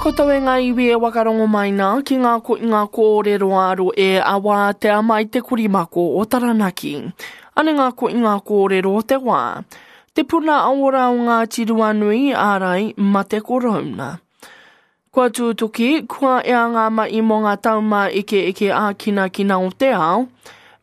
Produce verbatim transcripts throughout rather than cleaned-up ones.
koutou e ngā iwi e wakarongo mai nā ki ngā ko ngā kōrero aro e a wātea mai te korimako o Taranaki. Ane ngā ko ngā kōrero o te wā. Te puna aora o Ngāti Ruanui ārai mate korouna. Kua tūtuki, kua ea ngā mai mō ngā tauma eke eke ākinakina o te ao,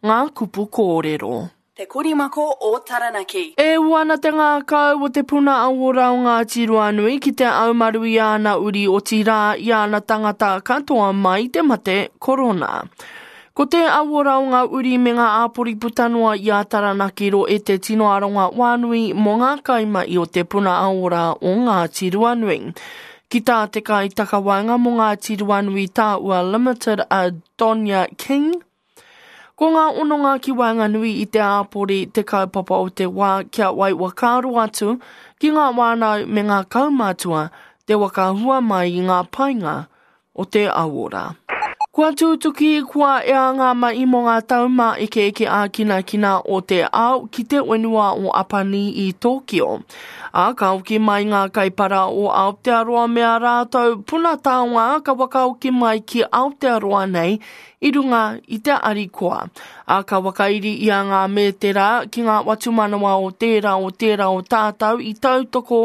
ngā kupu kōrero. Te Korimako o Taranaki. E ū ana te ngākau o te puna aora o Ngāti Ruanui ki te aumaru i āna uri otirā i āna tangata katoa mai te mate korona. Ko te aora o ngā uri me ngā āpori puta noa i a Taranaki ro e te tino aronga wānui mō ngā kaimai o te puna aora o Ngāti Ruanui. Ki tā te kai takawaenga mō Ngāti Ruanui Tāua Limited a Donia King, Ko ngā ononga ki waenganui i te āpori te kaupapa o te wā kia wai whakaaro atu ki ngā wānau me ngā kaumātua te whakahua mai i ngā painga o te auora. Kua tūtuki, kua ea ngā mai mō ngā tauma eke eke ākinakina o te ao ki te whenua o Apani i Tōkio. Ā, ka hoki mai ngā kaipara o Aotearoa me a rātou puna taonga ka whakahoki mai ki Aotearoa nei i runga i te arikoa. Ā, ka whakairi i a ngā mētera ki ngā watumanawa o tērā o tērā o tātou i tautoko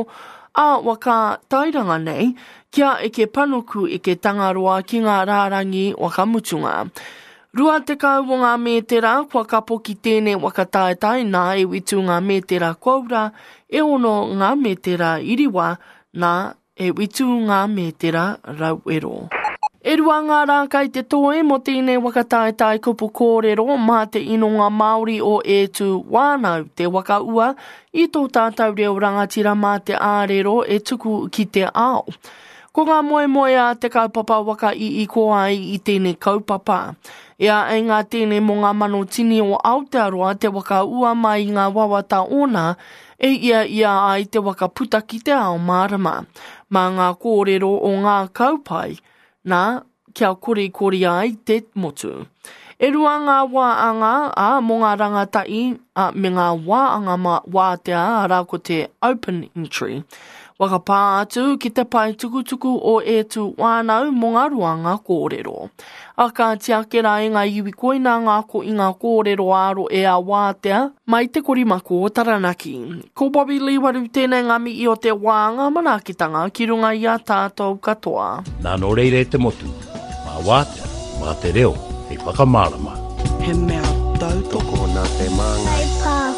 a waka tairanga nei, kia eke panuku eke tangaroa ki ngā rārangi wakamutunga. Rua tekau o ngā mētera kua kapo ki tēnei waka taetae nā e witu ngā mētera koura, e ono ngā mētera iriwa, nā e witu ngā mētera rauero. E rua ngā rā kai te toe mō tēnei waka taetae kupu kōrero mā te inonga Māori o E Tū Wānau te waka ua i tō tātou reo rangatira mā te ārero e tuku ki te ao. Ko ngā moemoe a te kaupapa waka i iko ai i tēnei kaupapa. E a e ngā tēnei mō ngā mano tini o Aotearoa te waka ua mai i ngā wawata ōna e ia ia ai te waka puta ki te ao mārama. Mā ngā kōrero o ngā kaupai, nā, kia korikori ai te motu. E rua ngā wāanga a mō ngā rangatahi a, me ngā wāanga mā wātea arā ko te open entry. Whakapā atu ki te pae tukutuku o E Tū Wānau mō ngā ruanga kōrero. A ka tiake rā e ngā iwi koina ngā ko i ngā kōrero āro e a wātea mai te korimako o Taranaki. Ko Bobby Lee Waru tēnei ngā mihi o te wā ngā manaakitanga ki runga i a tātou katoa. Nā nō reira e te motu, mā wātea, mā te reo, hei whakamārama. He mea tautoko Tokona te māngai. Pāho.